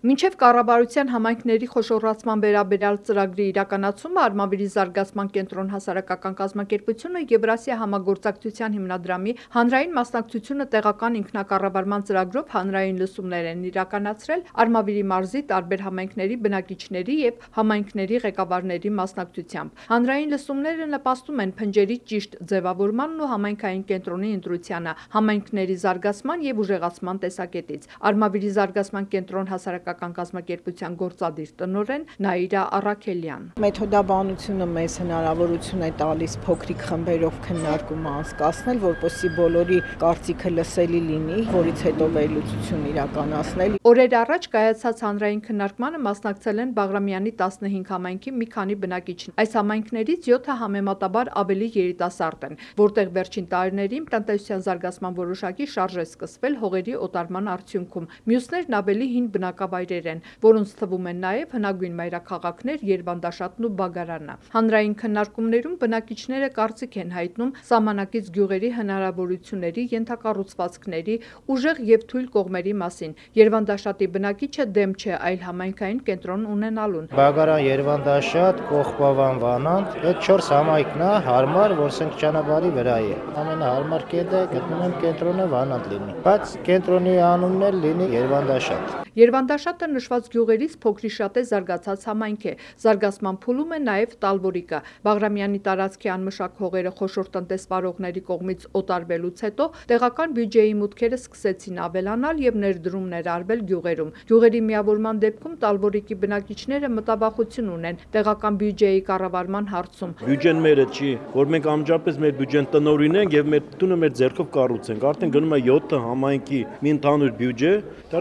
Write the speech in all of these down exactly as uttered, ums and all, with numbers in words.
Մինչև կառավարության համայնքների խոշորացման վերաբերյալ ծրագրի իրականացումը Արմավիրի զարգացման կենտրոն հասարակական կազմակերպությունը Եվրասիա համագործակցության հիմնադրամի հանրային մասնակցությունը տեղական ինքնակառավարման ծրագրով հանրային լսումներ են իրականացրել Արմավիրի մարզի տարբեր համայնքների բնակիչների և համայնքների ղեկավարների մասնակցությամբ։ Հանրային լսումները նպաստում են փնջերի ճիշտ ձևավորմանն ու համայնքային կենտրոնի ընտրությանը համայնքների զարգացման և ուժեղացման տեսակետից։ Արմավիրի զարգացման կենտրոն հասարակական կազմակերպության գործադիր տնօրեն Նաիրա Առաքելյան: Մեթոդաբանությունը մեզ հնարավորություն է տալիս փոքրիկ խմբերով քննարկում անցկացնել, որպեսզի բոլորի կարծիքը լսելի լինի, որից հետո վերլուծություն իրականացնել։ Օրեր առաջ կայացած հանրային քննարկմանը մասնակցել են Բաղրամյանի տասնհինգ համայնքի մի քանի բնակիչներ։ Այս համայնքներից յոթը համեմատաբար ավելի երիտասարդ են, որտեղ վերջին տարիներին տնտեսության զարգացման որոշակի շարժ է սկսվել հողերի օտարման արդյունքում։ Մյուսներն ավելի հին բնակավայրեր են, որոնց թվում են նաև հնագույն մայրաքաղաքներ Երվանդաշատն ու Բագարանը։ Հանրային քննարկումներում բնակիչները կարծիք են հայտնում սահմանակից գյուղերի հնարավորությունների, ենթակառուցվածքների, ուժեղ և թույլ կողմերի մասին։ Երվանդաշատի բնակիչը դեմ չէ այլ համայնքային կենտրոն ունենալուն։ Բագարան, Երվանդաշատ, Կողբավան, Վանանդ, այդ չորս համայնքն է հարմար, որ սենք ճանապարհի վրա է։ Ամենահարմար կետը գտնվում եմ կենտրոնը Վանանդ լինի, բայց կենտրոնի անունն էլ լինի Երվանդաշատ։ Երվանդաշատը նշված գյուղերից փոքրիշատե զարգացած համայնք է։ Զարգացման փուլում է նաև Տալվորիկը։ Բաղրամյանի տարածքի անմշակ հողերը խոշոր տնտեսվարողների կողմից օտարվելուց հետո տեղական բյուջեի մուտքերը սկսեցին ավելանալ և ներդրումներ արվել գյուղերում։ Գյուղերի միավորման դեպքում Տալվորիկի բնակիչները մտավախություն ունեն տեղական բյուջեի կառավարման հարցում։ Բյուջեն մերը չի, որ մենք անմիջապես մեր բյուջեն տնօրինենք և մեր տունը մեր ձեռքով կառուցենք։ Արդեն գնում է յոթ համայնքի մի ընդհանուր բյուջե,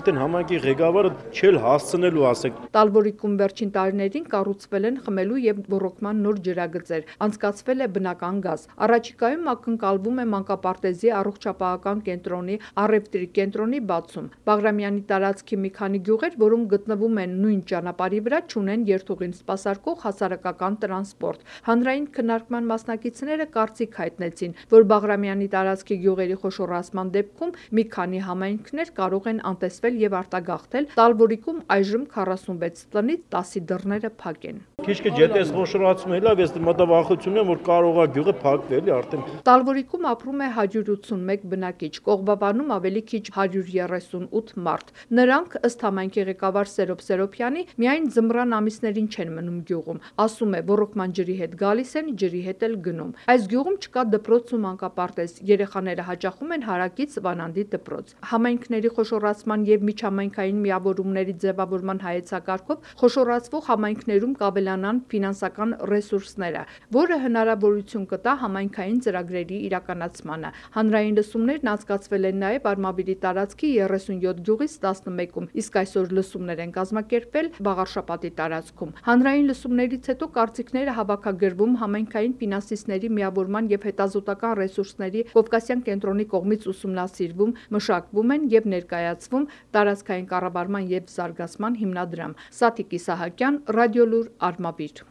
արդեն համայնքի ղեկավարը չել հասցնելու ասեք։ Տալվորիկում վերջին տարիներին կառուցվել են խմելու և ոռոգման նոր ջրագծեր, անցկացվել է բնական գազ։ Առաջիկայում ակնկալվում է մանկապարտեզի առողջապահական կենտրոնի, առևտրի կենտրոնի բացում։ Բաղրամյանի տարածքի մի քանի գյուղեր, որոնք գտնվում են նույն ճանապարհի վրա, չունեն երթուղին սպասարկող հասարակական տրանսպորտ։ Հանրային քննարկման մասնակիցները կարծիք հայտնեցին, որ Բաղրամյանի տարածքի գյուղերի խոշորացման դեպքում մի քանի համայնքներ կարող են անտեսվել և արտագաղթել։ Տալվորիկում այժմ քառասունվեց տնից տասի դռները փակ են։ Քիչ-քիչ եթե խոշորացում է, լավ, ես մտավախություն եմ, որ կարող է գյուղը փակվել արդեն։ Տալվորիկում ապրում է հարյուր ութսունմեկ բնակիչ, Կողբավանում ավելի քիչ հարյուր երեսունութ մարդ։ Նրանք, ըստ համայնքի ղեկավար Սերոբ Սերոբյանի, միայն ձմռան ամիսներին չեն մնում գյուղում։ Ասում է, ոռոգման ջրի հետ գալիս են, ջրի հետ էլ գնում։ Այս գյուղում չկա դպրոց ու մանկապարտեզ, երեխաները հաճախում են հարակից Վանանդի դպրոց։ Համայնքների խոշորացման և միջհամայնքային միավորումների ձևավորման հայեցակարգով խոշորացվող համայնքներում կավելանան ֆինանսական ռեսուրսները, որը հնարավորություն կտա համայնքային ծրագրերի իրականացմանը։ Հանրային լսումներն անցկացվել են նաև Արմավիրի տարածքի երեսունյոթ գյուղից տասնմեկում, իսկ այսօր լսումներ են կազմակերպվել Վաղարշապատի տարածքում։ Հանրային լսումներից հետո կարծիքները հավաքագրվում համայնքային ֆինանսիստների միավորման և հետազոտական ռեսուրսների Կովկասյան կենտրոնի կողմից ուսումնասիրվում, մշակվում են և ներկայացվում տարածքային կառավարման և զարգացման հիմնադրամ։ Սաթիկ Իսահակյան, Ռադիոլուր, Արմավիր։